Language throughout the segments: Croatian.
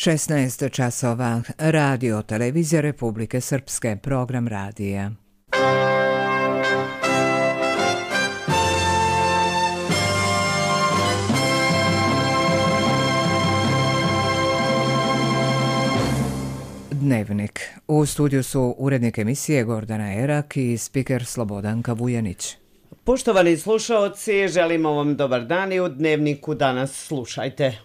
16 časova. Radio Televizija Republike Srpske. Program radija. Dnevnik. U studiju su urednik emisije Gordana Erak i spiker Slobodanka Vujanić. Poštovani slušaoci, želimo vam dobar dan i u Dnevniku danas slušajte.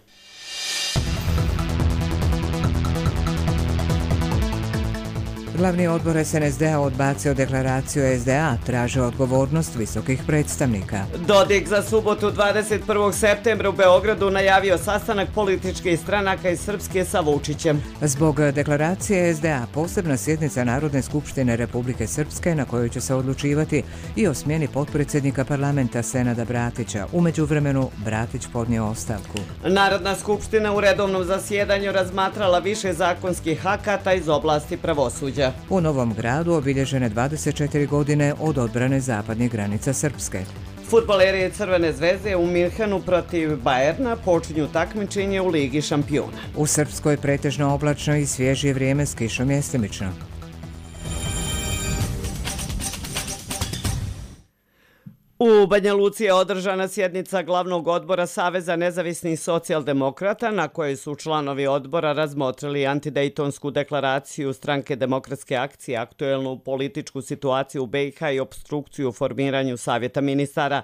Glavni odbor SNSD-a odbacio deklaraciju SDA, traže odgovornost visokih predstavnika. Dodik za subotu 21. septembra u Beogradu najavio sastanak političkih stranaka iz Srpske sa Vučićem. Zbog deklaracije SDA posebna sjednica Narodne skupštine Republike Srpske na kojoj će se odlučivati i o smjeni potpredsjednika parlamenta Senada Bratića. U međuvremenu Bratić podnio ostavku. Narodna skupština u redovnom zasjedanju razmatrala više zakonskih akata iz oblasti pravosuđa. U Novom Gradu obilježene 24 godine od odbrane zapadnih granica Srpske. Fudbaleri Crvene zvezde u Minhenu protiv Bajerna počinju takmičenje u Ligi šampiona. U Srpskoj pretežno oblačno i svježije vrijeme s kišom mjestimično. U Banja Luci je održana sjednica glavnog odbora Saveza nezavisnih socijaldemokrata na kojoj su članovi odbora razmotrili antidejtonsku deklaraciju Stranke demokratske akcije, aktuelnu političku situaciju u BiH i opstrukciju u formiranju Savjeta ministara.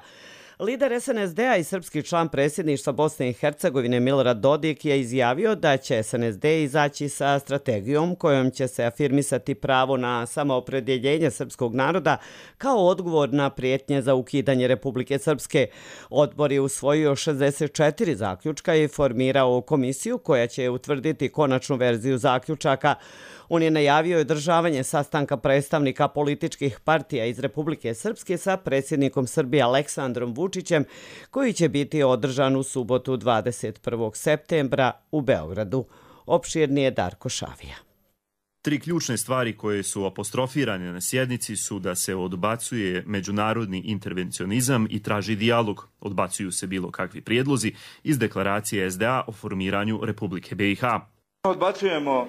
Lider SNSD-a i srpski član predsjedništva Bosne i Hercegovine Milorad Dodik je izjavio da će SNSD izaći sa strategijom kojom će se afirmisati pravo na samoopredjeljenje srpskog naroda kao odgovor na prijetnje za ukidanje Republike Srpske. Odbor je usvojio 64 zaključka i formirao komisiju koja će utvrditi konačnu verziju zaključaka. On je najavio održavanje sastanka predstavnika političkih partija iz Republike Srpske sa predsjednikom Srbije Aleksandrom Vučićem, koji će biti održan u subotu 21. septembra u Beogradu. Opširnije Darko Šavija. Tri ključne stvari koje su apostrofirane na sjednici su da se odbacuje međunarodni intervencionizam i traži dijalog. Odbacuju se bilo kakvi prijedlozi iz deklaracije SDA o formiranju Republike BiH. Odbacujemo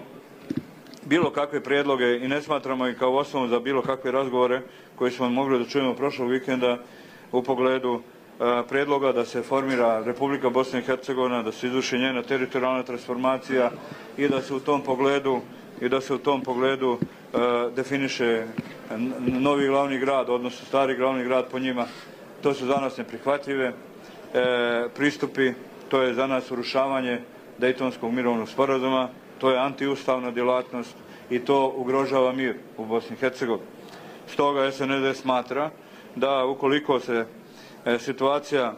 bilo kakve prijedloge i ne smatramo ih kao osnovu za bilo kakve razgovore koje smo mogli da čujemo prošlog vikenda u pogledu prijedloga da se formira Republika Bosna i Hercegovina, da se izvrši njena teritorijalna transformacija i da se u tom pogledu definiše novi glavni grad, odnosno stari glavni grad po njima. To su za nas neprihvatljive pristupi, to je za nas urušavanje Dejtonskog mirovnog sporazuma, to je antiustavna djelatnost i to ugrožava mir u Bosni i Hercegovini. Stoga SNSD smatra da ukoliko se situacija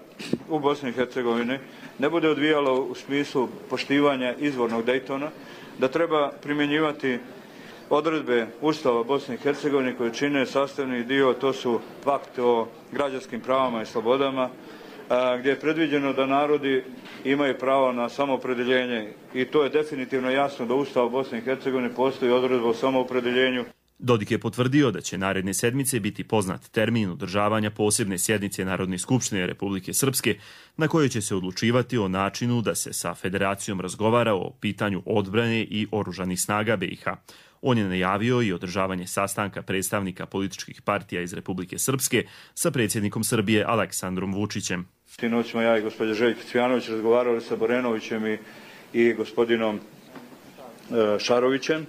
u Bosni i Hercegovini ne bude odvijala u smislu poštivanja izvornog Dejtona, da treba primjenjivati odredbe Ustava Bosne i Hercegovine koje čine sastavni dio, to su pakt o građanskim pravama i slobodama, gdje je predviđeno da narodi imaju pravo na samoopredjeljenje i to je definitivno jasno da u Ustavu Bosne i Hercegovine postoji odredba o samoopredjeljenju. Dodik je potvrdio da će naredne sedmice biti poznat termin održavanja posebne sjednice Narodne skupštine Republike Srpske na kojoj će se odlučivati o načinu da se sa federacijom razgovara o pitanju odbrane i oružanih snaga BiH. On je najavio i održavanje sastanka predstavnika političkih partija iz Republike Srpske sa predsjednikom Srbije Aleksandrom Vučićem. Sinoć smo ja i gospođa Željko Cvijanović razgovarali sa Borenovićem i gospodinom Šarovićem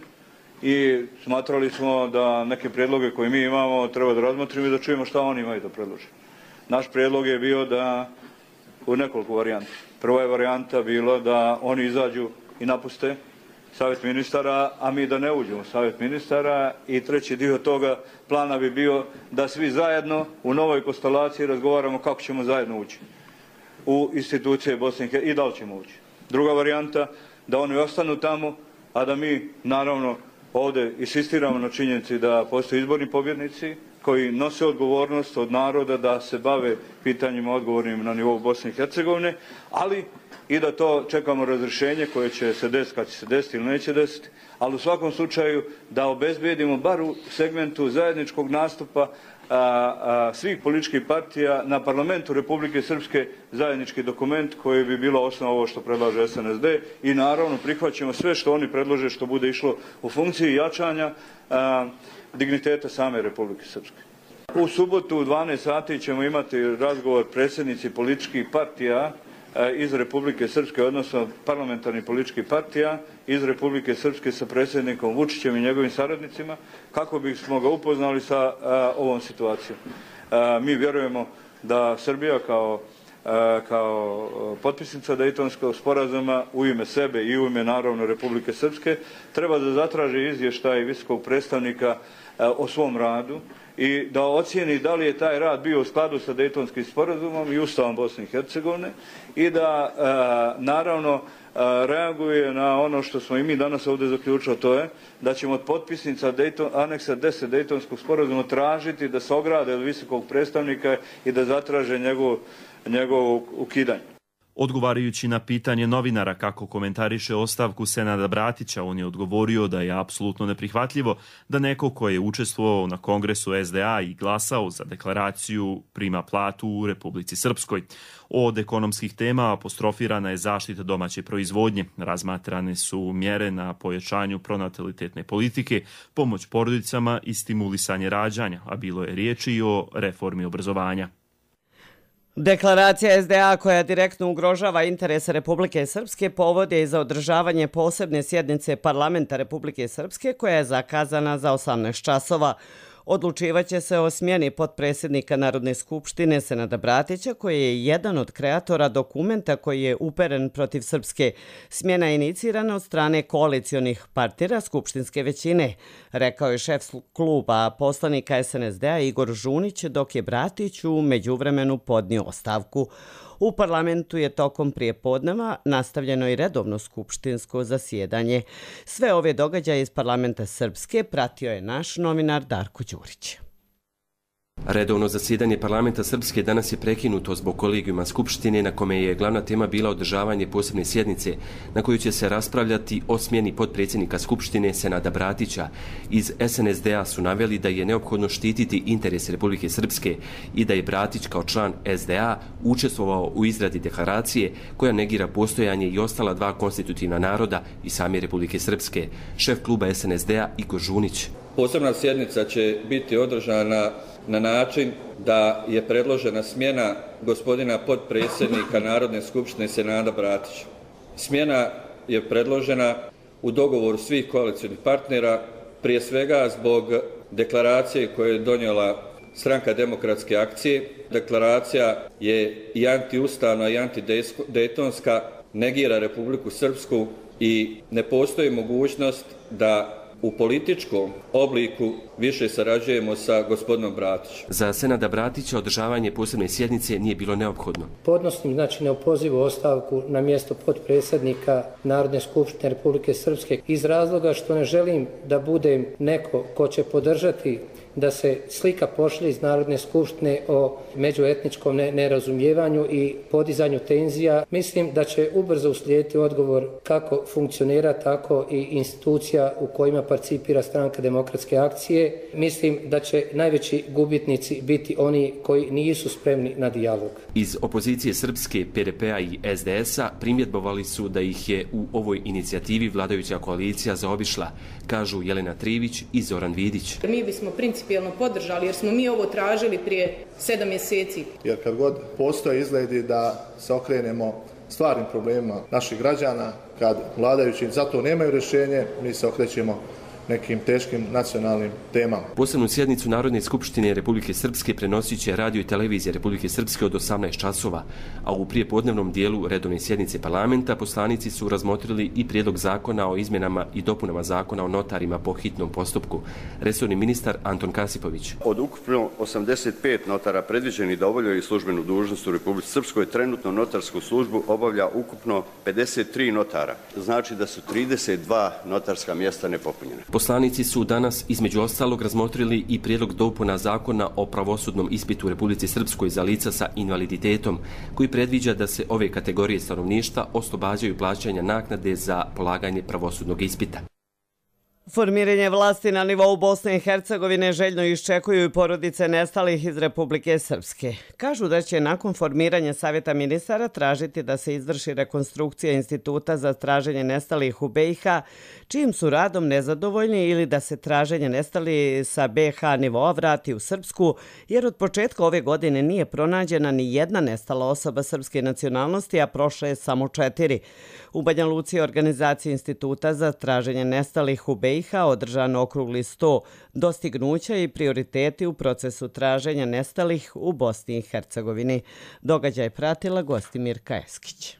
i smatrali smo da neke prijedloge koje mi imamo treba da razmotrimo i da čujemo šta oni imaju da predlože. Naš prijedlog je bio da u nekoliko varijanta. Prva je varijanta bila da oni izađu i napuste Savjet ministara, a mi da ne uđemo u Savjet ministara i treći dio toga plana bi bio da svi zajedno u novoj konstelaciji razgovaramo kako ćemo zajedno ući u institucije Bosne i da li ćemo ući. Druga varijanta, da oni ostanu tamo, a da mi naravno ovdje insistiramo na činjenici da postoje izborni pobjednici koji nose odgovornost od naroda da se bave pitanjima odgovornim na nivou Bosne i Hercegovine, ali i da to čekamo razrješenje koje će se desiti kad će se desiti ili neće desiti, ali u svakom slučaju da obezbijedimo bar u segmentu zajedničkog nastupa svih političkih partija na parlamentu Republike Srpske zajednički dokument koji bi bilo osnova ovo što predlaže SNSD i naravno prihvaćamo sve što oni predlože što bude išlo u funkciji jačanja digniteta same Republike Srpske. U subotu u 12 sati ćemo imati razgovor predsjednici političkih partija iz Republike Srpske, odnosno parlamentarnih političkih partija iz Republike Srpske sa predsjednikom Vučićem i njegovim saradnicima, kako bismo ga upoznali sa ovom situacijom. Mi vjerujemo da Srbija kao potpisnica Dejtonskog sporazuma u ime sebe i u ime naravno Republike Srpske treba da zatraži izvještaj visokog predstavnika o svom radu i da ocijeni da li je taj rad bio u skladu sa Dejtonskim sporazumom i Ustavom Bosne i Hercegovine i da naravno reaguje na ono što smo i mi danas ovdje zaključili, to je da ćemo od potpisnica aneksa 10 Dejtonskog sporazuma tražiti da se ograde od visokog predstavnika i da zatraže njegovo ukidanje. Odgovarajući na pitanje novinara kako komentariše ostavku Senada Bratića, on je odgovorio da je apsolutno neprihvatljivo da neko ko je učestvovao na kongresu SDA i glasao za deklaraciju prima platu u Republici Srpskoj. Od ekonomskih tema apostrofirana je zaštita domaće proizvodnje, razmatrane su mjere na pojačanju pronatalitetne politike, pomoć porodicama i stimulisanje rađanja, a bilo je riječi i o reformi obrazovanja. Deklaracija SDA koja direktno ugrožava interese Republike Srpske povod je za održavanje posebne sjednice Parlamenta Republike Srpske koja je zakazana za 18 časova. Odlučivaće se o smjeni potpredsjednika Narodne skupštine Senada Bratića koji je jedan od kreatora dokumenta koji je uperen protiv Srpske. Smjena je inicirana od strane koalicionih partnera skupštinske većine, rekao je šef kluba poslanika SNSD-a Igor Žunić, dok je Bratić u međuvremenu podnio ostavku. U parlamentu je tokom prijepodneva nastavljeno i redovno skupštinsko zasjedanje. Sve ove događaje iz parlamenta Srpske pratio je naš novinar Darko Đurić. Redovno zasjedanje parlamenta Srpske danas je prekinuto zbog kolegijuma Skupštine na kome je glavna tema bila održavanje posebne sjednice na kojoj će se raspravljati o smjeni potpredsjednika Skupštine Senada Bratića. Iz SNSD-a su naveli da je neophodno štititi interese Republike Srpske i da je Bratić kao član SDA učestvovao u izradi deklaracije koja negira postojanje i ostala dva konstitutivna naroda i same Republike Srpske. Šef kluba SNSD-a Igor Žunić. Posebna sjednica će biti održana na način da je predložena smjena gospodina potpredsjednika Narodne skupštine Senada Bratića. Smjena je predložena u dogovoru svih koalicionih partnera, prije svega zbog deklaracije koju je donijela Stranka demokratske akcije. Deklaracija je i antiustavna i antidejtonska, negira Republiku Srpsku i ne postoji mogućnost da u političkom obliku više sarađujemo sa gospodinom Bratićem. Za Senada Bratića održavanje posebne sjednice nije bilo neophodno. Podnosim neopozivu ostavku na mjesto potpredsjednika Narodne skupštine Republike Srpske iz razloga što ne želim da budem neko ko će podržati da se slika pošalje iz Narodne skupštine o međuetničkom nerazumijevanju i podizanju tenzija. Mislim da će ubrzo uslijediti odgovor kako funkcionira, tako i institucija u kojima participira Stranka demokratske akcije. Mislim da će najveći gubitnici biti oni koji nisu spremni na dijalog. Iz opozicije Srpske, PDP-a i SDS-a primjedbovali su da ih je u ovoj inicijativi vladajuća koalicija zaobišla, kažu Jelena Trivić i Zoran Vidić. Mi bismo principijelno podržali jer smo mi ovo tražili prije 7 mjeseci. Jer kad god postoje izgledi da se okrenemo stvarnim problemima naših građana, kad vladajući za to nemaju rješenje, mi se okrećemo nekim teškim nacionalnim temama. Posebnu sjednicu Narodne skupštine Republike Srpske prenosit će radio i televizija Republike Srpske od 18 časova, a u prijepodnevnom dijelu redovne sjednice parlamenta poslanici su razmotrili i prijedlog zakona o izmjenama i dopunama zakona o notarima po hitnom postupku. Resorni ministar Anton Kasipović. Od ukupno 85 notara predviđeni da obavljaju službenu dužnost u Republici Srpskoj, trenutno notarsku službu obavlja ukupno 53 notara. Znači da su 32 notarska mjesta nepopunjene. Poslanici su danas između ostalog razmotrili i prijedlog dopuna zakona o pravosudnom ispitu u Republici Srpskoj za lica sa invaliditetom, koji predviđa da se ove kategorije stanovništva oslobađaju plaćanja naknade za polaganje pravosudnog ispita. Formiranje vlasti na nivou Bosne i Hercegovine željno iščekuju i porodice nestalih iz Republike Srpske. Kažu da će nakon formiranja Savjeta ministara tražiti da se izvrši rekonstrukcija Instituta za traženje nestalih u BiH, čijim su radom nezadovoljni, ili da se traženje nestalih sa BiH nivoa vrati u Srpsku, jer od početka ove godine nije pronađena ni jedna nestala osoba srpske nacionalnosti, a prošle je samo 4. U Banja Luci je organizacija Instituta za traženje nestalih u BiH održan okrugli sto dostignuća i prioriteti u procesu traženja nestalih u Bosni i Hercegovini. Događaj pratila Gostimirka Eskić.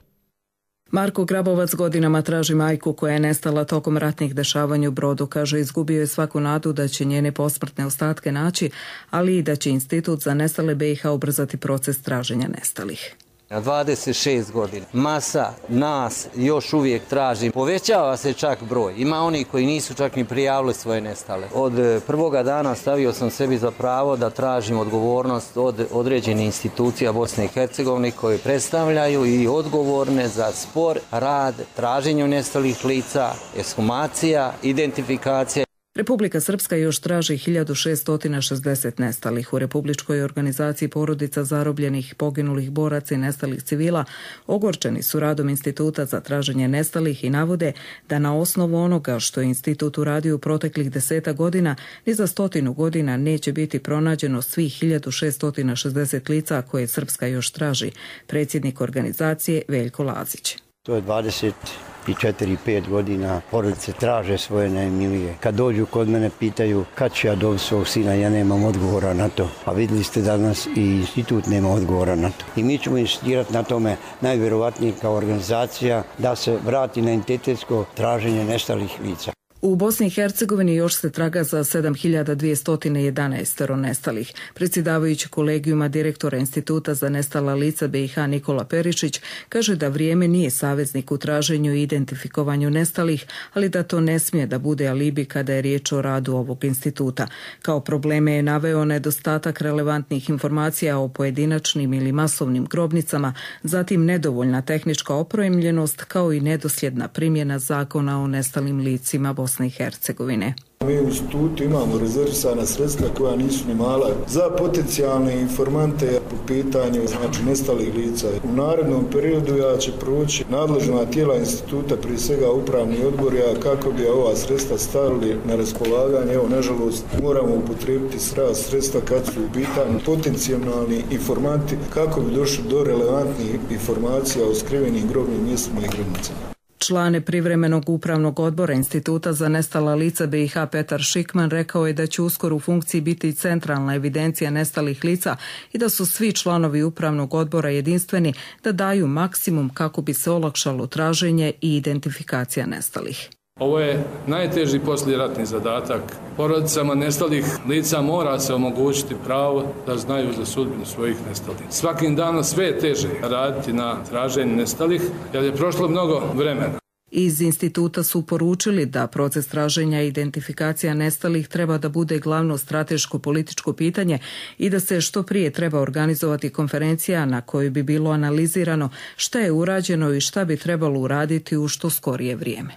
Marko Grabovac godinama traži majku koja je nestala tokom ratnih dešavanja u Brodu. Kaže, izgubio je svaku nadu da će njene posmrtne ostatke naći, ali i da će Institut za nestale BiH ubrzati proces traženja nestalih. 26 godina. Masa nas još uvijek traži. Povećava se čak broj. Ima oni koji nisu čak ni prijavili svoje nestale. Od prvoga dana stavio sam sebi za pravo da tražim odgovornost od određenih institucija Bosne i Hercegovine koje predstavljaju i odgovorne za spor, rad, traženju nestalih lica, ekshumacija, identifikacija. Republika Srpska još traži 1660 nestalih. U Republičkoj organizaciji porodica zarobljenih, poginulih boraca i nestalih civila ogorčeni su radom Instituta za traženje nestalih i navode da na osnovu onoga što je institut uradio u proteklih 10 godina, ni za 100 godina neće biti pronađeno svih 1660 lica koje Srpska još traži. Predsjednik organizacije Veljko Lazić. To je 24-5 godina porodice traže svoje najmilije. Kad dođu kod mene pitaju kad ću ja dobiti svog sina, ja nemam odgovora na to. A vidjeli ste danas i institut nema odgovora na to. I mi ćemo insistirati na tome najvjerovatnije kao organizacija da se vrati na identitetsko traženje nestalih lica. U Bosni i Hercegovini još se traga za 7211 nestalih. Predsjedavajući kolegijuma direktora Instituta za nestala lica BiH Nikola Perišić kaže da vrijeme nije saveznik u traženju i identifikovanju nestalih, ali da to ne smije da bude alibi kada je riječ o radu ovog instituta. Kao probleme je naveo nedostatak relevantnih informacija o pojedinačnim ili masovnim grobnicama, zatim nedovoljna tehnička opremljenost kao i nedosljedna primjena zakona o nestalim licima Bosne i Hercegovine. Mi u institutu imamo rezervisana sredstva koja nisu ni mala za potencijalne informante po pitanju nestalih lica. U narednom periodu ja će proći nadležna tijela instituta, prije svega upravni odbor, kako bi ova sredstva stavili na raspolaganje. Evo, nažalost, moramo upotrijebiti sredstva kad su u pitanju potencijalni informanti kako bi došli do relevantnih informacija o skrivenim grobnim mjestima i grobnicama. Član privremenog upravnog odbora Instituta za nestala lica BiH Petar Šikman rekao je da će uskoro u funkciji biti centralna evidencija nestalih lica i da su svi članovi upravnog odbora jedinstveni da daju maksimum kako bi se olakšalo traženje i identifikacija nestalih. Ovo je najteži poslijeratni zadatak. Porodicama nestalih lica mora se omogućiti pravo da znaju za sudbinu svojih nestalih. Svakim danom sve je teže raditi na traženju nestalih jer je prošlo mnogo vremena. Iz instituta su poručili da proces traženja i identifikacija nestalih treba da bude glavno strateško političko pitanje i da se što prije treba organizovati konferencija na kojoj bi bilo analizirano šta je urađeno i šta bi trebalo uraditi u što skorije vrijeme.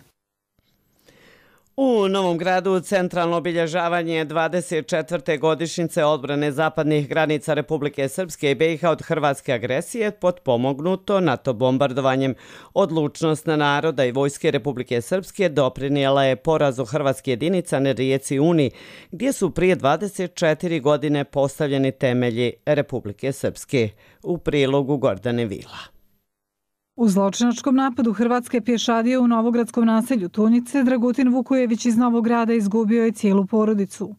U Novom Gradu centralno obilježavanje 24. godišnjice odbrane zapadnih granica Republike Srpske i BiH od hrvatske agresije potpomognuto NATO bombardovanjem. Odlučnost naroda i vojske Republike Srpske doprinijela je porazu hrvatske jedinica na rijeci Uni, gdje su prije 24 godine postavljeni temelji Republike Srpske. U prilogu Gordane Vila. U zločinačkom napadu hrvatske pješadije u novogradskom naselju Tunjice Dragutin Vukojević iz Novog Grada izgubio je cijelu porodicu.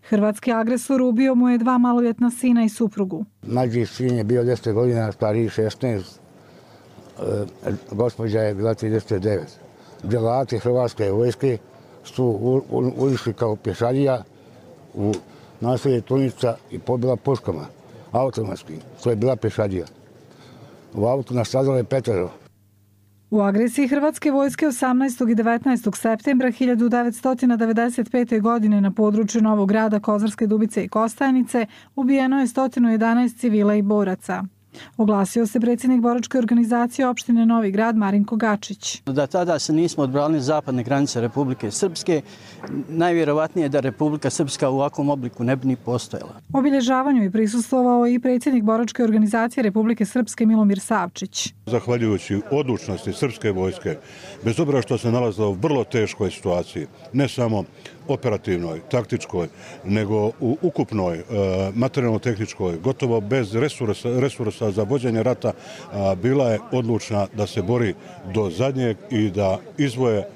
Hrvatski agresor ubio mu je 2 maloljetna sina i suprugu. Mlađi sin je bio 10 godina, stariji 16, gospođa je bila 39. Djelati hrvatske vojske su ušli kao pješadija u naselje Tunjica i pobila puškama, automatski. To je bila pješadija. U autu nastradalo je 5. U agresiji hrvatske vojske 18. i 19. septembra 1995. godine na području Novog Grada, Kozarske Dubice i Kostajnice ubijeno je 111 civila i boraca. Oglasio se predsjednik boračke organizacije opštine Novi Grad Marinko Gačić. Da tada se nismo odbranili zapadne granice Republike Srpske, najvjerovatnije je da Republika Srpska u ovakvom obliku ne bi ni postojala. Obilježavanju je prisustvovao i predsjednik boračke organizacije Republike Srpske Milomir Savčić. Zahvaljujući odlučnosti srpske vojske, bez obzira što se nalazila u vrlo teškoj situaciji, ne samo operativnoj, taktičkoj, nego u ukupnoj, materijalno-tehničkoj, gotovo bez resursa za vođenje rata, bila je odlučna da se bori do zadnjeg i da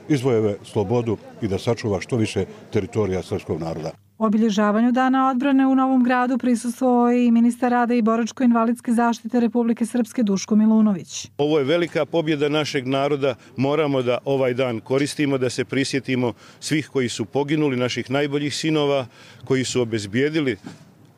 izvoje slobodu i da sačuva što više teritorija srpskog naroda. Obilježavanju Dana odbrane u Novom Gradu prisustvovao je i ministar rada i boračko-invalidske zaštite Republike Srpske Duško Milunović. Ovo je velika pobjeda našeg naroda. Moramo da ovaj dan koristimo, da se prisjetimo svih koji su poginuli, naših najboljih sinova, koji su obezbijedili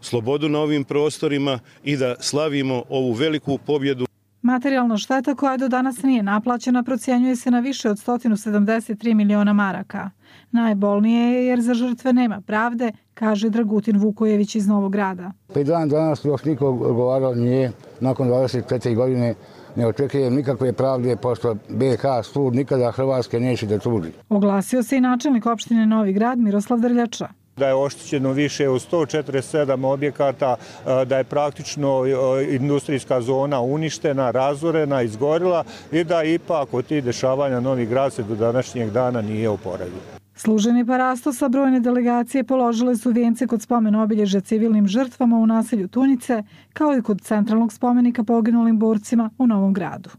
slobodu na ovim prostorima i da slavimo ovu veliku pobjedu. Materijalna šteta koja do danas nije naplaćena procjenjuje se na više od 173 miliona maraka. Najbolnije je jer za žrtve nema pravde, kaže Dragutin Vukojević iz Novog Grada. 5 dana danas još niko govarao nije, nakon 24 godine ne očekujem nikakve pravde, pošto BiH sud nikada Hrvatske neće da tuži. Oglasio se i načelnik opštine Novi Grad Miroslav Drljača. Da je oštećeno više od 147 objekata, da je praktično industrijska zona uništena, razorena, izgorila i da ipak od tih dešavanja Novi Grad se do današnjeg dana nije oporavio. Služeni parastosa brojne delegacije položile su vijence kod spomen obilježja civilnim žrtvama u naselju Tunjice, kao i kod centralnog spomenika poginulim borcima u Novom Gradu.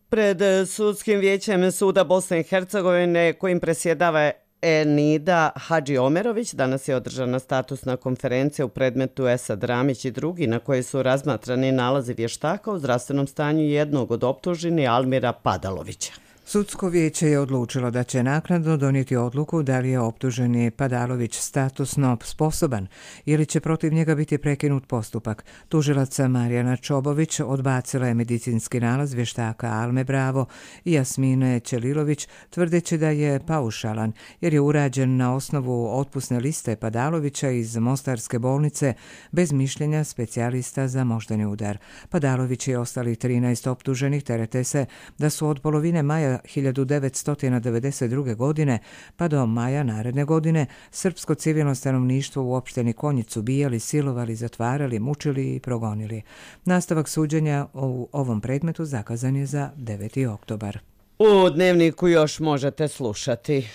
Pred sudskim vijećem Suda Bosne i Hercegovine, kojim presjedava Enida Hadži Omerović, danas je održana statusna konferencija u predmetu Esad Ramić i drugi, na kojoj su razmatrani nalazi vještaka o zdravstvenom stanju jednog od optuženih Almira Padalovića. Sudsko vijeće je odlučilo da će naknadno donijeti odluku da li je optuženi Padalović statusno sposoban ili će protiv njega biti prekinut postupak. Tužilaca Marijana Čobović odbacila je medicinski nalaz vještaka Alme Bravo i Jasmine Ćelilović, tvrdeći da je paušalan jer je urađen na osnovu otpusne liste Padalovića iz Mostarske bolnice bez mišljenja specijalista za moždani udar. Padalović i ostali 13 optuženih terete se da su od polovine maja 1992. godine pa do maja naredne godine srpsko civilno stanovništvo u opštini Konjicu bijali, silovali, zatvarali, mučili i progonili. Nastavak suđenja u ovom predmetu zakazan je za 9. oktobar. U Dnevniku još možete slušati.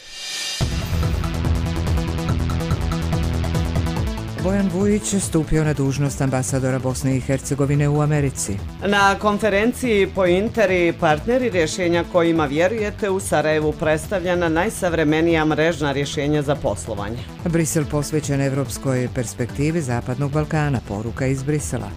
Bojan Vujić stupio na dužnost ambasadora Bosne i Hercegovine u Americi. Na konferenciji Pointer i partneri rješenja kojima vjerujete u Sarajevu predstavljena najsavremenija mrežna rješenja za poslovanje. Brisel posvećen evropskoj perspektivi Zapadnog Balkana, poruka iz Brisela.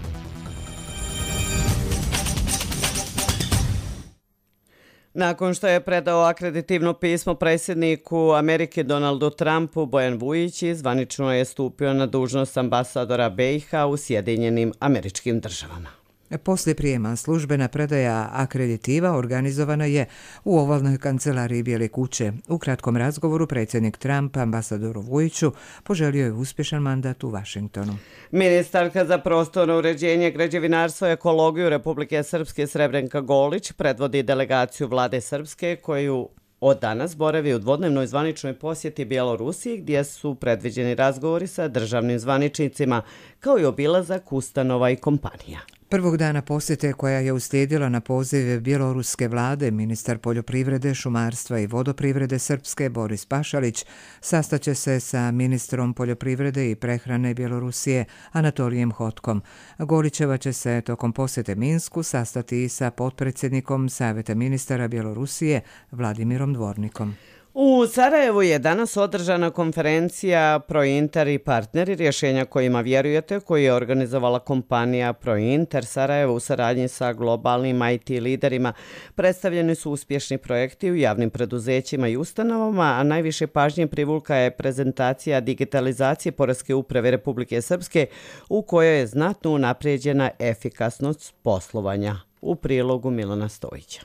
Nakon što je predao akreditivno pismo predsjedniku Amerike Donaldu Trumpu, Bojan Vujić zvanično je stupio na dužnost ambasadora BiH u Sjedinjenim Američkim Državama. Poslije prijema službena predaja akreditiva organizovana je u ovalnoj kancelariji Bijele kuće. U kratkom razgovoru predsjednik Trump ambasadoru Vujiću poželio je uspješan mandat u Vašingtonu. Ministarka za prostorno uređenje, građevinarstvo i ekologiju Republike Srpske Srebrenka Golić predvodi delegaciju vlade Srpske koju od danas boravi u dvodnevnoj zvaničnoj posjeti Bjelorusiji gdje su predviđeni razgovori sa državnim zvaničnicima kao i obilazak ustanova i kompanija. Prvog dana posjete koja je uslijedila na poziv bjeloruske vlade, ministar poljoprivrede, šumarstva i vodoprivrede Srpske Boris Pašalić sastaće se sa ministrom poljoprivrede i prehrane Bjelorusije Anatolijem Hotkom. Golićeva će se tokom posjete Minsku sastati i sa potpredsjednikom Savjeta ministara Bjelorusije Vladimirom Dvornikom. U Sarajevu je danas održana konferencija Prointer i partneri rješenja kojima vjerujete, koju je organizovala kompanija Prointer Sarajevo u saradnji sa globalnim IT liderima. Predstavljeni su uspješni projekti u javnim preduzećima i ustanovama, a najviše pažnje privukla je prezentacija digitalizacije Poreske uprave Republike Srpske u kojoj je znatno unaprijeđena efikasnost poslovanja. U prilogu Milana Stojića.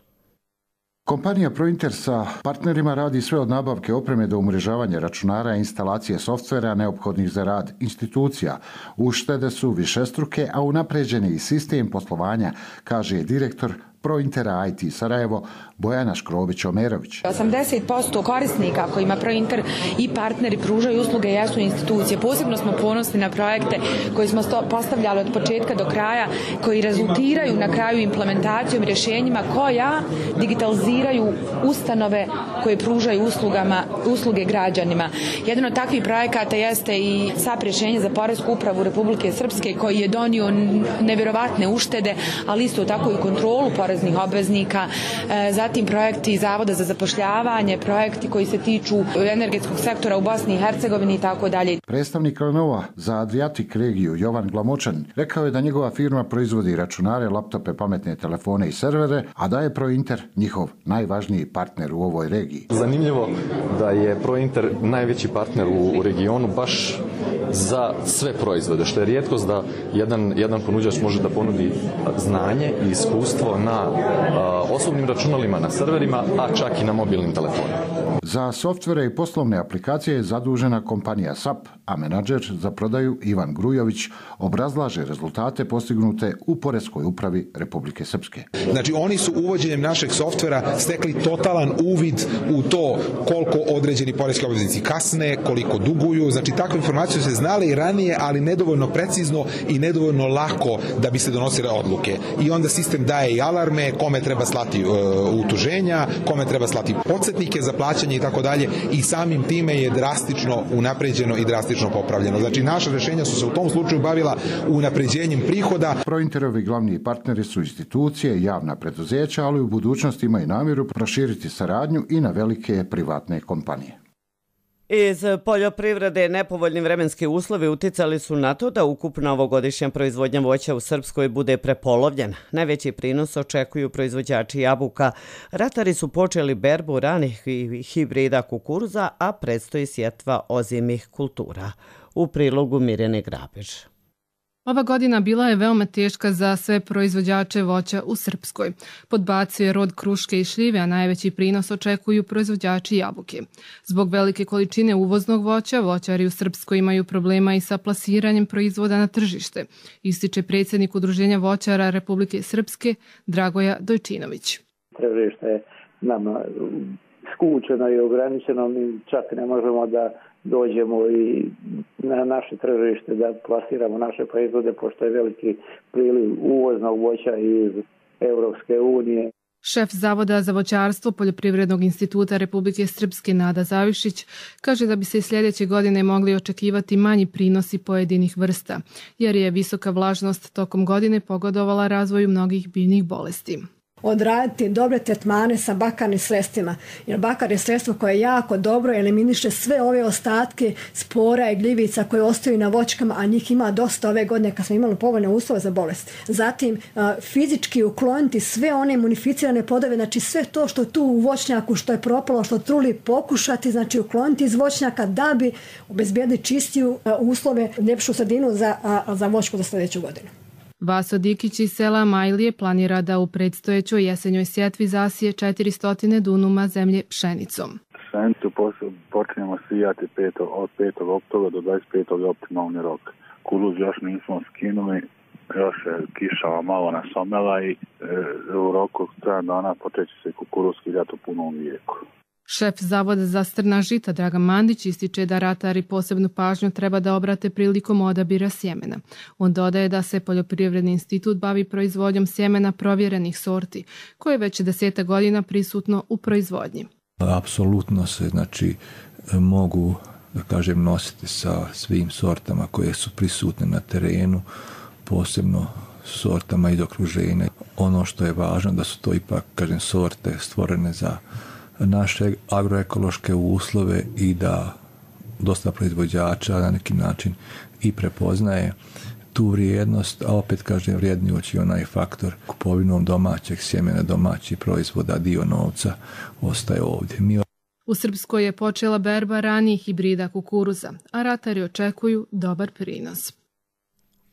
Kompanija Prointer sa partnerima radi sve od nabavke opreme do umrežavanja računara i instalacije softvera neophodnih za rad institucija. Uštede su višestruke, a unapređen je i sistem poslovanja, kaže direktor Prointera IT Sarajevo Bojana Škrobić-Omerović. 80% korisnika kojima Prointer i partneri pružaju usluge jesu institucije. Posebno smo ponosni na projekte koji smo postavljali od početka do kraja, koji rezultiraju na kraju implementacijom rješenjima koja digitaliziraju ustanove koje pružaju usluge građanima. Jedan od takvih projekata jeste i SAP rješenje za Poresku upravu Republike Srpske koji je donio nevjerovatne uštede, ali isto tako i kontrolu poreznih obveznika, zatim projekti Zavoda za zapošljavanje, projekti koji se tiču energetskog sektora u Bosni i Hercegovini i tako dalje. Predstavnik Lenova za Adriatic regiju Jovan Glamočan rekao je da njegova firma proizvodi računare, laptope, pametne telefone i servere, a da je Prointer njihov najvažniji partner u ovoj regiji. Zanimljivo da je Prointer najveći partner u regionu baš za sve proizvode, što je rijetkost da jedan ponuđač može da ponudi znanje i iskustvo na osobnim računalima, na serverima, a čak i na mobilnim telefonima. Za softvere i poslovne aplikacije je zadužena kompanija SAP, a menadžer za prodaju Ivan Grujović obrazlaže rezultate postignute u Poreskoj upravi Republike Srpske. Znači, oni su uvođenjem našeg softvera stekli totalan uvid u to koliko određeni poreski obveznici kasne, koliko duguju. Znači, takve informacije se znale i ranije, ali nedovoljno precizno i nedovoljno lako da bi se donosile odluke. I onda sistem daje i alarme, kome treba slati utuženja, kome treba slati podsjetnike za plaćanje i tako dalje, i samim time je drastično unapređeno i drastično popravljeno. Znači, naša rješenja su se u tom slučaju bavila unapređenjem prihoda. Prointerovi glavni partneri su institucije i javna preduzeća, ali u budućnosti imaju namjeru proširiti saradnju i na velike privatne kompanije. Iz poljoprivrede nepovoljni vremenski uslovi uticali su na to da ukupna ovogodišnja proizvodnja voća u Srpskoj bude prepolovljena. Najveći prinos očekuju proizvođači jabuka. Ratari su počeli berbu ranih hibrida kukuruza, a predstoji sjetva ozimih kultura. U prilogu Mirjane Grabež. Ova godina bila je veoma teška za sve proizvođače voća u Srpskoj. Podbacio je rod kruške i šljive, a najveći prinos očekuju proizvođači jabuke. Zbog velike količine uvoznog voća, voćari u Srpskoj imaju problema i sa plasiranjem proizvoda na tržište, ističe predsjednik Udruženja voćara Republike Srpske Dragoja Dojčinović. Tržište je nama skučeno i ograničeno, mi čak ne možemo da dođemo i na naše tržište da plasiramo naše proizvode, pošto je veliki priliv uvoznog voća iz Europske unije. Šef Zavoda za voćarstvo Poljoprivrednog instituta Republike Srpske Nada Zavišić kaže da bi se i sljedeće godine mogli očekivati manji prinosi pojedinih vrsta, jer je visoka vlažnost tokom godine pogodovala razvoju mnogih biljnih bolesti. Odraditi dobre tretmane sa bakarnim sredstvima. Jer bakar je sredstvo koje jako dobro eliminiše sve ove ostatke spora i gljivica koje ostaju na voćkama, a njih ima dosta ove godine kad smo imali povoljne uslove za bolest. Zatim, fizički ukloniti sve one imunificirane plodove, znači sve to što tu u voćnjaku, što je propalo, što truli, pokušati, znači ukloniti iz voćnjaka da bi obezbijedili čistiju uslove, ljepšu sredinu za voćku za sljedeću godinu. Vaso Dikić iz sela Majlije planira da u predstojećoj jesenjoj sjetvi zasije 400 dunuma zemlje pšenicom. Pšenicu počinjemo sijati od 5. oktobra do 25. je optimalni rok. Kukuruz još nismo skinuli, još je kišava malo nasomela i u roku 7 dana počeće se kukuruz skidati u punom vijeku. Šef Zavoda za strna žita Dragan Mandić ističe da ratari posebnu pažnju treba da obrate prilikom odabira sjemena. On dodaje da se Poljoprivredni institut bavi proizvodnjom sjemena provjerenih sorti, koje je već 10 godina prisutno u proizvodnji. Apsolutno se mogu nositi sa svim sortama koje su prisutne na terenu, posebno sortama iz okruženja. Ono što je važno da su to ipak sorte stvorene za naše agroekološke uslove i da dosta proizvođača na neki način i prepoznaje tu vrijednost, a opet vrijednjući onaj faktor kupovinom domaćeg sjemena, domaćih proizvoda, dio novca ostaje ovdje. U Srpskoj je počela berba ranijih hibrida kukuruza, a ratari očekuju dobar prinos.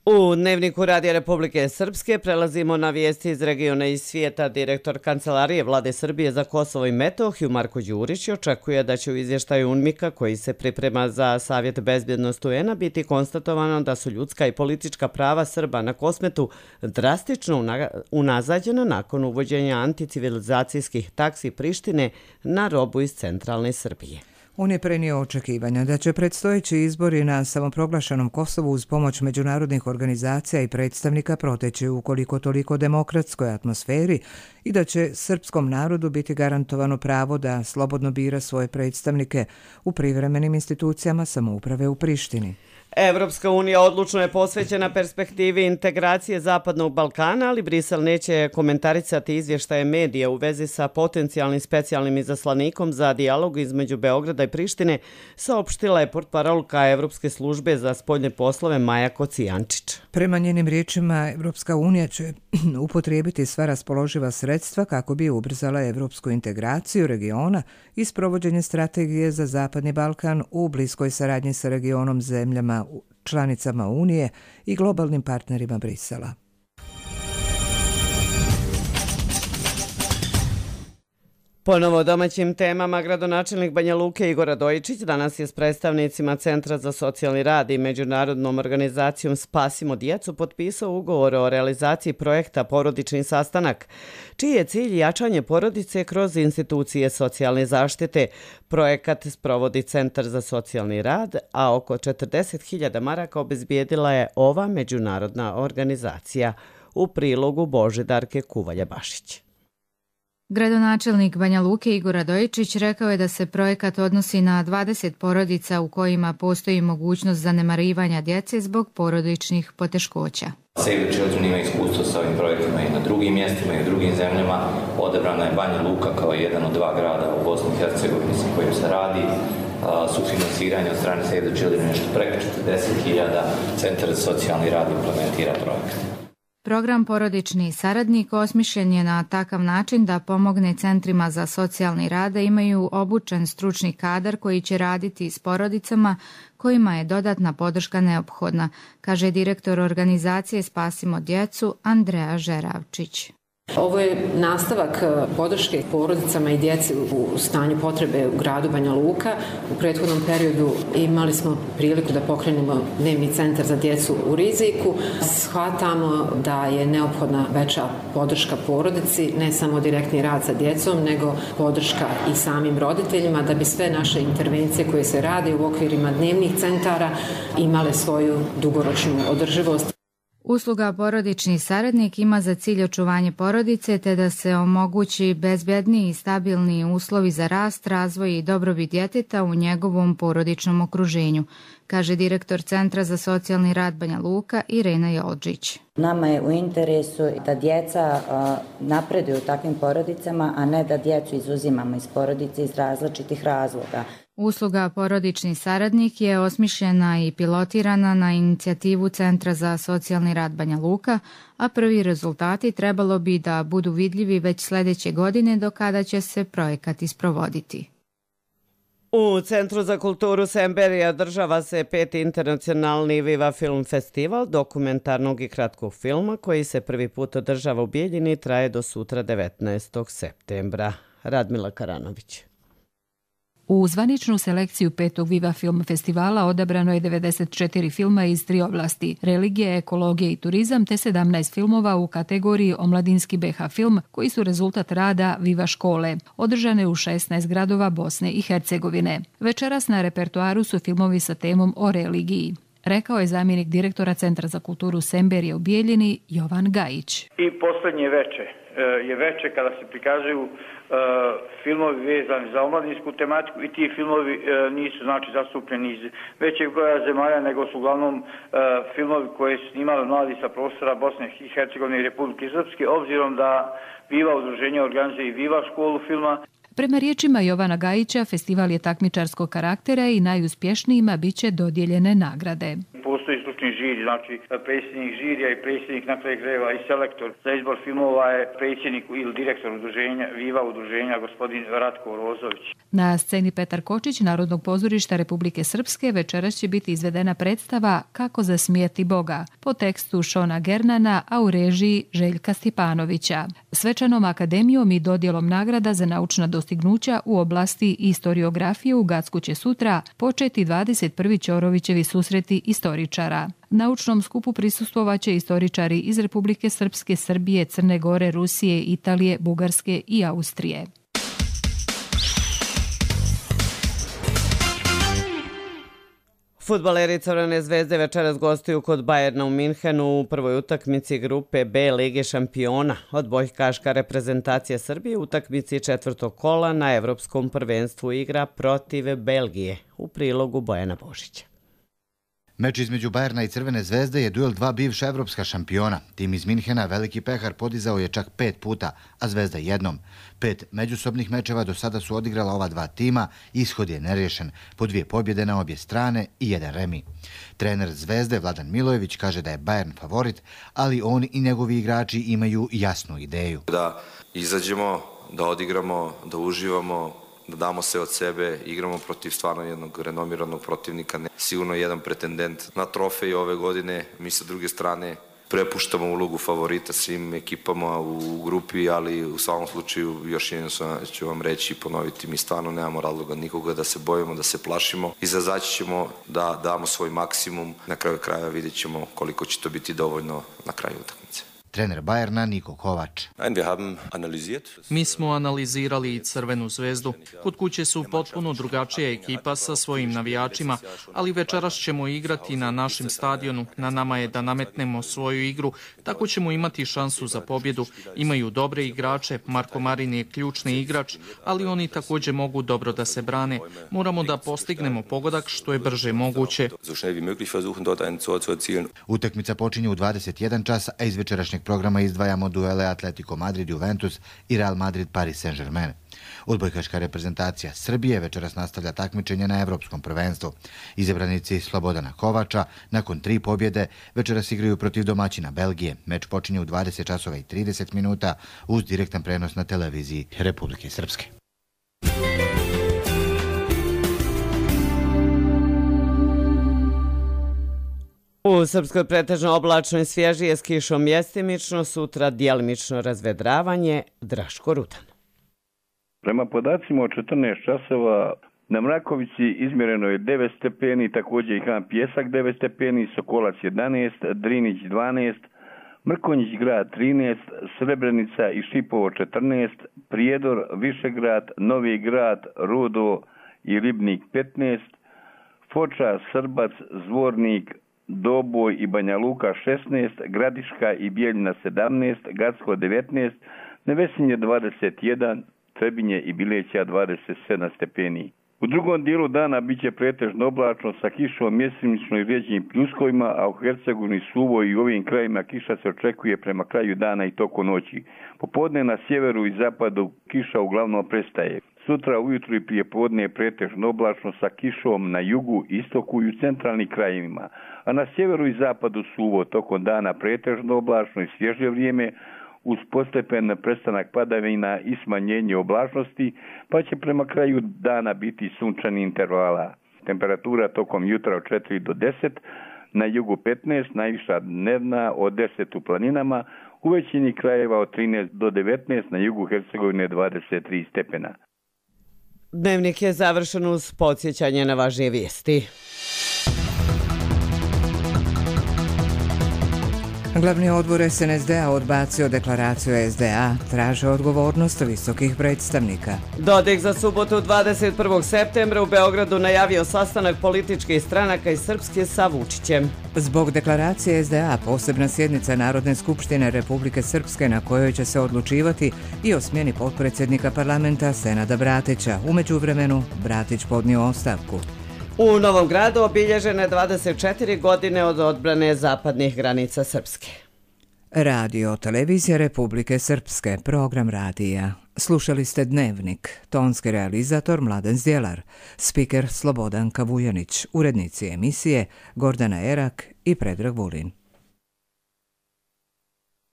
U Dnevniku Radija Republike Srpske prelazimo na vijesti iz regiona i svijeta. Direktor Kancelarije Vlade Srbije za Kosovo i Metohiju Marko Đurić očekuje da će u izvještaju UNMIK-a koji se priprema za Savjet bezbjednosti UN-a biti konstatovano da su ljudska i politička prava Srba na Kosmetu drastično unazađena nakon uvođenja anticivilizacijskih taksi Prištine na robu iz centralne Srbije. On je prenio očekivanja da će predstojeći izbori na samoproglašenom Kosovu uz pomoć međunarodnih organizacija i predstavnika proteći u koliko toliko demokratskoj atmosferi i da će srpskom narodu biti garantovano pravo da slobodno bira svoje predstavnike u privremenim institucijama samouprave u Prištini. Evropska unija odlučno je posvećena perspektivi integracije Zapadnog Balkana, ali Brisel neće komentarisati izvještaje medija u vezi sa potencijalnim specijalnim izaslanikom za dijalog između Beograda i Prištine, saopštila je portparolka Evropske službe za spoljne poslove Maja Kocijančić. Prema njenim riječima, Evropska unija će upotrijebiti sva raspoloživa sredstva kako bi ubrzala evropsku integraciju regiona i sprovođenje strategije za Zapadni Balkan u bliskoj saradnji sa regionom zemljama članicama Unije i globalnim partnerima Brisela. Ponovo o domaćim temama, gradonačelnik Banja Luke Igor Radojičić danas je s predstavnicima Centra za socijalni rad i međunarodnom organizacijom Spasimo djecu potpisao ugovor o realizaciji projekta Porodični sastanak, čiji je cilj jačanje porodice kroz institucije socijalne zaštite. Projekat sprovodi Centar za socijalni rad, a oko 40.000 maraka obezbijedila je ova međunarodna organizacija. U prilogu Božidarke Kuvalja-Bašić. Gradonačelnik Banja Luke Igor Radojičić rekao je da se projekat odnosi na 20 porodica u kojima postoji mogućnost zanemarivanja djece zbog porodičnih poteškoća. Save the Children ima iskustvo sa ovim projektima i na drugim mjestima i u drugim zemljama. Odabrana je Banja Luka kao jedan od 2 grada u Bosni i Hercegovini sa kojim se radi. Sufinansiranje od strane Save the Children nešto preko 40.000. Centar za socijalni rad implementira projekat. Program Porodični saradnik osmišljen je na takav način da pomogne centrima za socijalni rad da imaju obučen stručni kadar koji će raditi s porodicama kojima je dodatna podrška neophodna, kaže direktor organizacije Spasimo djecu Andreja Žeravčić. Ovo je nastavak podrške porodicama i djeci u stanju potrebe u gradu Banja Luka. U prethodnom periodu imali smo priliku da pokrenemo dnevni centar za djecu u riziku. Shvatamo da je neophodna veća podrška porodici, ne samo direktni rad sa djecom, nego podrška i samim roditeljima da bi sve naše intervencije koje se rade u okvirima dnevnih centara imale svoju dugoročnu održivost. Usluga Porodični saradnik ima za cilj očuvanje porodice te da se omogući bezbedni i stabilni uslovi za rast, razvoj i dobrobit djeteta u njegovom porodičnom okruženju, kaže direktor Centra za socijalni rad Banja Luka Irena Jolđić. Nama je u interesu da djeca napreduju u takvim porodicama, a ne da djecu izuzimamo iz porodice iz različitih razloga. Usluga Porodični saradnik je osmišljena i pilotirana na inicijativu Centra za socijalni rad Banja Luka, a prvi rezultati trebalo bi da budu vidljivi već sljedeće godine do kada će se projekat isprovoditi. U Centru za kulturu Semberija održava se 5. internacionalni Viva Film Festival dokumentarnog i kratkog filma koji se prvi put održava u Bijeljini i traje do sutra 19. septembra. Radmila Karanović. U zvaničnu selekciju 5. Viva Film Festivala odabrano je 94 filma iz 3 oblasti: religije, ekologija i turizam, te 17 filmova u kategoriji omladinski BH film, koji su rezultat rada Viva škole, održane u 16 gradova Bosne i Hercegovine. Večeras na repertoaru su filmovi sa temom o religiji, rekao je zamjenik direktora Centra za kulturu Semberije u Bijeljini Jovan Gajić. I posljednje veče kada se prikazuju filmovi vezani za omladinsku tematiku i ti filmovi nisu zastupljeni iz većeg broja zemalja, nego su uglavnom filmovi koje su snimali mladi sa prostora Bosne i Hercegovine i Republike Srpske, obzirom da Viva udruženje organizuje i Viva školu filma. Prema riječima Jovana Gajića, festival je takmičarskog karaktera i najuspješnijima bit će dodijeljene nagrade. Postoji stručni žiri, znači predsjednik žirija i predsjednik na kraju krajeva i selektor za izbor filmova je predsjednik ili direktor udruženja, Viva udruženja, gospodin Ratko Rozović. Na sceni Petar Kočić Narodnog pozorišta Republike Srpske večeras će biti izvedena predstava Kako zasmijeti Boga po tekstu Šona Gernana, a u režiji Željka Stjepanovića. Svečanom akademijom i dodjelom nagrada za naučna dostignuća u oblasti istoriografije u Gacku će sutra početi 21. Ćorovićevi susreti istoričara. Naučnom skupu prisustvovaće istoričari iz Republike Srpske, Srbije, Crne Gore, Rusije, Italije, Bugarske i Austrije. Fudbaleri Crvene zvezde večeras gostuju kod Bajerna u Minhenu u prvoj utakmici grupe B Lige šampiona. Odbojkaška reprezentacija Srbije u utakmici četvrtog kola na Evropskom prvenstvu igra protiv Belgije. U prilogu Bojana Božića. Meč između Bajerna i Crvene zvezde je duel dva bivša evropska šampiona. Tim iz Minhena veliki pehar podizao je čak 5 puta, a Zvezda jednom. 5 međusobnih mečeva do sada su odigrala ova dva tima, ishod je neriješen, po 2 pobjede na obje strane i 1 remi. Trener Zvezde Vladan Milojević kaže da je Bajern favorit, ali on i njegovi igrači imaju jasnu ideju. Da izađemo, da odigramo, da uživamo, da damo se od sebe, igramo protiv stvarno jednog renomiranog protivnika, sigurno jedan pretendent na trofej ove godine. Mi sa druge strane prepuštamo ulogu favorita svim ekipama u grupi, ali u svakom slučaju još jednom ću vam reći i ponoviti, mi stvarno nemamo razloga nikoga da se bojimo, da se plašimo. Izaći ćemo da damo svoj maksimum, na kraju kraja vidjet ćemo koliko će to biti dovoljno na kraju utakmice. Trener Bajerna Niko Kovač. Mi smo analizirali i Crvenu zvezdu. Kod kuće su potpuno drugačija ekipa sa svojim navijačima, ali večeras ćemo igrati na našem stadionu. Na nama je da nametnemo svoju igru, tako ćemo imati šansu za pobjedu. Imaju dobre igrače, Marko Marin je ključni igrač, ali oni također mogu dobro da se brane. Moramo da postignemo pogodak što je brže moguće. Utakmica počinje u 21 čas, a iz večerašnjeg programa izdvajamo duele Atletico Madrid-Juventus i Real Madrid-Paris Saint-Germain. Odbojkaška reprezentacija Srbije večeras nastavlja takmičenje na Evropskom prvenstvu. Izabranici Slobodana Kovača nakon 3 pobjede večeras igraju protiv domaćina Belgije. Meč počinje u 20 časova i 30 minuta uz direktan prenos na televiziji Republike Srpske. U Srpskoj pretežno oblačno i svježije s kišom mjestimično, sutra djelimično razvedravanje. Draško Rudan. Prema podacima od 14 časova na Mrakovici izmjereno je 9 stepeni, također i Han Pjesak 9 stepeni, Sokolac 11, Drinić 12, Mrkonjić grad 13, Srebrenica i Šipovo 14, Prijedor, Višegrad, Novi grad, Rudo i Ribnik 15, Foča, Srbac, Zvornik, Doboj i Banja Luka 16, Gradiška i Bijeljina 17, Gacko 19, Nevesinje 21, Trebinje i Bileća 27 stepeni. U drugom dijelu dana bit će pretežno oblačno sa kišom mjesimično i rijeđenim pljuskovima, a u Hercegovini suvo i u ovim krajima kiša se očekuje prema kraju dana i toku noći. Popodne na sjeveru i zapadu kiša uglavnom prestaje. Sutra ujutru i prije podne je pretežno oblačno sa kišom na jugu, istoku i u centralnim krajevima, a na sjeveru i zapadu suvo, tokom dana pretežno oblačno i svježe vrijeme, uz postepen prestanak padavina i smanjenje oblačnosti, pa će prema kraju dana biti sunčani intervala. Temperatura tokom jutra od 4 do 10, na jugu 15, najviša dnevna od 10 u planinama, u većini krajeva od 13 do 19, na jugu Hercegovine 23 stepena. Dnevnik je završen uz podsjećanje na važnije vijesti. Glavni odbor SNSD-a odbacio deklaraciju SDA, traže odgovornost visokih predstavnika. Dodik za subotu 21. septembra u Beogradu najavio sastanak političkih stranaka iz Srpske sa Vučićem. Zbog deklaracije SDA posebna sjednica Narodne skupštine Republike Srpske na kojoj će se odlučivati i o smjeni potpredsjednika parlamenta Senada Bratića. U međuvremenu Bratić podnio ostavku. U Novom Gradu obilježene 24 godine od odbrane zapadnih granica Srpske. Radio Televizija Republike Srpske, program radija. Slušali ste Dnevnik, tonski realizator Mladen Zdjelar, spiker Slobodan Kavujanić, urednici emisije Gordana Erak i Predrag Vulin.